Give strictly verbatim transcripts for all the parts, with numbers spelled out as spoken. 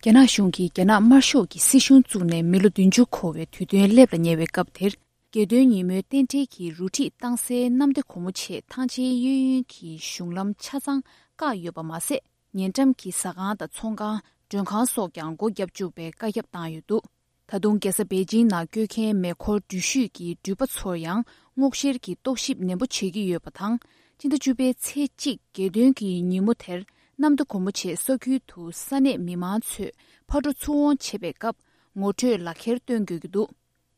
རྒྱ་ནག་གཞུང་གིས་རྒྱ་ནག་དམར་ཤོག་གི་སྲིད་གཞུང་བཙུགས་ནས་མི་ལོ་བདུན་ཅུ་འཁོར་བའི་དུས་སྟོན་སླེབས་ལ་ཉེ་བའི་སྐབས་དེར། རྒྱལ་དོན་ཉིན་མོའི་རྟེན་འབྲེལ་གྱི་རུ་ཁྲིད་བཏང་སའི་གནམ་བདེ་སྒོ་མོ་ཆེ་ཐང་ཆེན་གཡས་གཡོན་གྱི་གཞུང་ལམ་ཆ་ཚང་བཀག་ཡོད་པ་མ་ཟད། ཉེ་འགྲམ་གྱི་ཟ་ཁང་དང་ཚོང་ཁང་། མགྲོན་ཁང་སོགས་ཀྱང་སྒོ་བརྒྱབ་བཅུག་པའི་བཀའ་ཁྱབ་བཏང་ཡོད་འདུག་ད་དུང་རྒྱལ་ས་པེ་ཅིང་ནང་བསྐྱོད་མཁན་མེ་འཁོར་འགྲུལ་བཞུད་ཀྱི་འགྲུལ་པ་ཚོར་ཡང་སྔོག་བཤེར་གྱི་རྟོག་ཞིབ་ནན་པོ་བྱེད་ཀྱི་ཡོད་པ་དང་། སྤྱི་ཟླ་བཅུ་པའི་ཚེས་གཅིག་རྒྱལ་སྟོན་གྱི་ཉིན་མོ་དེར་གནམ་བདེ་སྒོ་མོ་ཆེ་ས་ཁུལ་དུ་ས་གནས་མི་མང་ཚོས་ཕར་འགྲོ་ཚུར་འོང་བྱེད་པའི་སྐབས་ངོ་སྤྲོད་ལག་འཁྱེར་སྟོན་དགོས་ཀྱི་འདུག་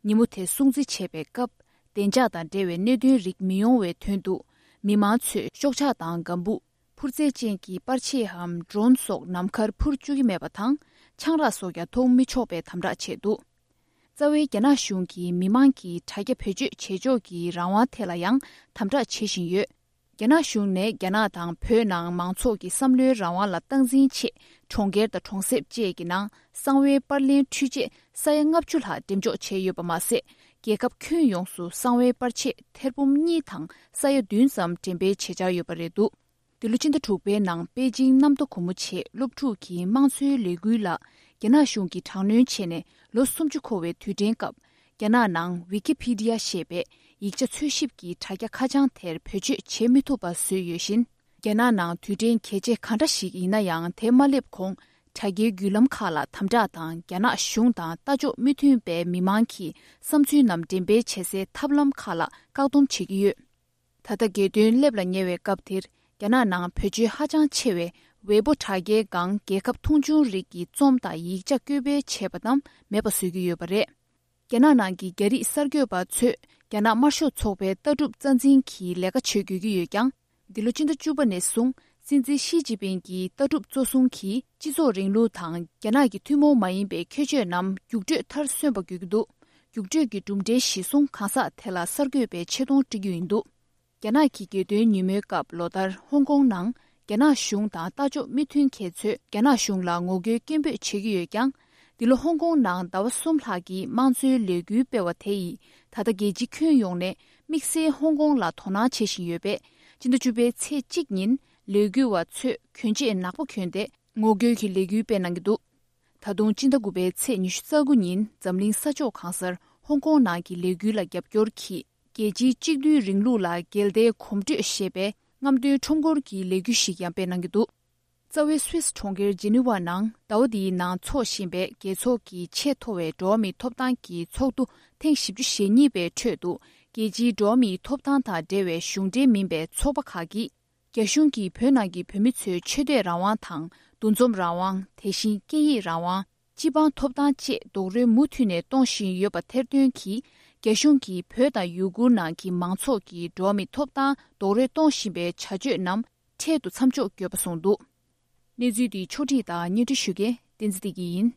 ཉིན་མོ་དེ་སྲུང་བརྩི་བྱེད་པའི་སྐབས་བདེ་འཇགས་དང་འབྲེལ་བའི་གནད་དོན་རིགས་མི་ཡོང་བའི་དོན་དུ། མི་མང་ཚོས་ཤོག་ཆག་དང་ལྒམ་བུ། འཕུར་རྩལ་ཅན་གྱི་པར་ཆས་འམ་ཌོ་རོན་སོགས་ནམ་མཁར་འཕུར་བཅུག་གི་མེད་པ་དང་། ཆང་རག་སོགས་ཀྱང་འཐུང་མི་ཆོག་པའི་དམ་དྲག་བྱས་འདུག་རྩ་བའི་རྒྱ་ནག་གཞུང་གིས་མི་མང་གི་དྲ་རྒྱ་བེད་སྤྱོད་བྱེད་ཕྱོགས་ཀྱི་རང་དབང་ཐད་ལ་ཡང་དམ་དྲག་བྱེད་བཞིན་ཡོད། རྒྱ་ནག་གཞུང་ནས་རྒྱ་ནག་དང་བོད་ནང་མང་ཚོགས་ཀྱི་བསམ་བློའི་རང་དབང་ལ་སྟངས་འཛིན་ཆེད། གྲོང་ཁྱེར་དང་གྲོང་གསེབ་བཅས་ཀྱི་ནང་གསང་བའི་པར་ལེན་འཕྲུལ་ཆས་ས་ཡ་ལྔ་བཅུ་ལྷག་འགྲེམས་འཇོག་བྱས་ཡོད་པ་མ་ཟད། རྒྱལ་ཁབ་ཁྱོན་ཡོངས་སུ་གསང་བའི་པར་ཆས་ཐེར་འབུམ་གཉིས་དང་ས་ཡ་བདུན་ཙམ་འགྲེམས་སྤེལ་བྱེད་འཆར་ཡོད་པ་རེད་འདུག་འདི་ལོ་ཕྱི་ཟླ་དྲུག་པའི་ནང་པེ་ཅིང་གནམ་ཐོ་སྒོ་མོ་ཆེའི་སློབ་ཕྲུག་གི་དམངས་གཙོའི་ལས་འགུལ་ལ་རྒྱ་ནག་གཞུང་གིས་དྲག་གནོན་བྱས་ནས་ལོ་སུམ་ཅུ་འཁོར་བའི་དུས་དྲན་སྐབས། རྒྱ་ནག་ནང་ཝི་ཀི་ཕི་ཌི་ཡ་ཞེས་པའི་ཡིག་ཆ་འཚོལ་ཞིབ་ཀྱི་དྲ་རྒྱ་ཁ་བྱང་དེར་བེད་སྤྱོད་བྱེད་མི་ཐུབ་པ་བཟོས་ཡོད་བཞིན། རྒྱ་ནག་ནང་དུས་དྲན་གལ་ཆེ་ག་འདྲ་ཞིག་ཡིན་ན་ཡང་དེ་མ་སླེབས་གོང་དྲ་རྒྱའི་བརྒྱུད་ལམ་ཁག་ལ་དམ་དྲག་དང་རྒྱ་ནག་གཞུང་དང་ལྟ་ཕྱོགས་མི་མཐུན་པའི་མི་མང་གི་བསམ་ཚུལ་རྣམས་འགྲེམས་སྤེལ་བྱེད་སའི་ཐབས་ལམ་ཁག་ལ་བཀག་སྡོམ་བྱེད་ཀྱི་ཡོད། ད་ལྟ་རྒྱལ་སྟོན་སླེབས་ལ་ཉེ་བའི་སྐབས་དེར་རྒྱ་ནག་ནང་བེད་སྤྱོད་ཧ་ཅང་ཆེ་བའི་ཝེ་པོ་དྲ་རྒྱའི་སྒང་རྒྱལ་ཁབ་མཐོང་ཆུང་རིགས་ཀྱི་རྩོམ་དང་ཡིག་ཆ་བཀོད་སྤེལ་བྱས་པ་རྣམས་མེད་པ་བཟོ་གི་ཡོད་པ་རེད། རྒྱ་ནག་ནང་གི་རྒྱ་རིགས་གསར་འགོད་པ་ཚོས་རྒྱ་ནག་དམར་ཤོག་ཚོགས་པའི་ལྟ་གྲུབ་རྩ་འཛིན་གྱི་ལས་ཀ་བྱེད་དགོས་ཀྱི་ཡོད་ཀྱང་། འདི་ལོ་ཕྱི་ཟླ་བཅུ་པ་ནས་བཟུང་སྲིད་འཛིན་ཞི་ཅིན་ཕིང་གི་ལྟ་གྲུབ་གཙོ་བཟུང་གིས་སྤྱི་ཚོགས་རིང་ལུགས་དང་རྒྱ་ནག་གི་ཐུན་མོང་མ་ཡིན་པའི་ཁྱད་ཆོས་རྣམས་རྒྱུགས་སྤྲོད་མཐར་སོན་པ་དགོས་ཀྱི་འདུག་རྒྱུགས་སྤྲོད་ཀྱི་གྲུབ་འབྲས་གཞིར་བཟུང་གང་ཟག་དེ་ལ་གསར་འགོད་པའི་ཆེ་མཐོང་སྤྲད་རྒྱུ་ཡིན་འདུག་རྒྱ་ནག་གི་རྒྱལ་སྟོན་ཉིན་མོའི་སྐབས་ལོ་ལྟར་ཧོང་ཀོང་ནང་རྒྱ་ནག་གཞུང་དང་ལྟ་ཕྱོགས་མི་མཐུན་མཁན་ཚོས་རྒྱ་ནག་གཞུང་ལ་ངོ་རྒོལ་སྐད་འབོད་བྱེད་ཀྱི་ཡོད་ཀྱང་། འདི་ལོ་ཧོང་ཀོང་ནང་ཟླ་བ་གསུམ་ལྷག་གི་དམངས་གཙོའི་ལས་འགུལ་སྤེལ་བ་དེ་ཡིས་ད་ལྟ་རྒྱལ་སྤྱི་ཁྱོན་ཡོངས་ནས་དམིགས་བསལ་ཧོང་ཀོང་ལ་དོ་སྣང་བྱེད་བཞིན་ཡོད་པས། སྤྱི་ཟླ་བཅུ་པའི་ཚེས་གཅིག་ཉིན་ལས་འགུལ་བ་ཚོས་གྱོན་ཆས་ནག་པོ་གྱོན་ཏེ་ངོ་རྒོལ་གྱི་ལས་འགུལ་སྤེལ་གནང་གི་འདུག་ད་དུང་སྤྱི་ཟླ་དགུ་པའི་ཚེས་ཉི་ཤུ་རྩ་དགུ་ཉིན་འཛམ་གླིང་ས་ཕྱོགས་གང་སར་ཧོང་ཀོང་ནང་གི་ལས་འགུལ་ལ་རྒྱབ་སྐྱོར་གྱིས། རྒྱལ་སྤྱིའི་གཅིག་སྡུད་རིང་ལུགས་ལ་འགལ་ཟླའི་གོམ་བགྲོད་ཞེས་པའི་རྔམ་སྟོན་ཁྲོམ་སྐོར་གྱི་ལས་འགུལ་ཞིག་ཡང་སྤེལ་གནང་གི་འདུག་རྩ་བའི་སུད་སི་གྲོང་ཁྱེར་ཇི་ནི་ཝ་ནང་ཟླ་བ་འདིའི་ནང་འཚོགས་བཞིན་པའི་རྒྱལ་ཚོགས་ཀྱི་ཆེས་མཐོ་བའི་འགྲོ་བ་མིའི་ཐོབ་ཐང་གི་ཚོགས་འདུ་ཐེངས་བཞི་བཅུ་ཞེ་གཉིས་པའི་ཁྲོད་དུ། རྒྱལ་སྤྱིའི་འགྲོ་བ་མིའི་ཐོབ་ཐང་དང་འབྲེལ་བའི་གཞུང་འབྲེལ་མིན་པའི་ཚོགས་པ་ཁག་གིས། རྒྱ་གཞུང་གིས་བོད་ནང་གི་བོད་མི་ཚོའི་ཆོས་དད་རང་དབང་དང་། འདུ་འཛོམས་རང་དབང་། དེ་བཞིན་སྐད་ཡིག་རང་དབང་། སྤྱི་འབངས་ཐོབ་ཐང་བཅས་རྡོག་རོལ་མུ་མཐུད་ནས་གཏོང་བཞིན་ཡོད་པ་ཐེར་འདོན་གྱིས། རྒྱ་གཞུང་གིས་བོད་དང་ཡུ་གུར་ནང་གི་མང་ཚོགས་ཀྱི་འགྲོ་བ་མིའི་ཐོབ་ཐང་རྡོག་རོལ་གཏོང་བཞིན་པའི་བྱ་སྤྱོད་རྣམས་འཕྲལ་དུ་མཚམས་འཇོག་དགོས་པ་གསུངས་འདུག་གནས་ཚུལ་འདི་ཕྱོགས་སྒྲིག་དང་སྙན་སྒྲོན་ཞུ་མཁན་བསྟན་འཛིན་བདེ་སྐྱིད་ཡིན།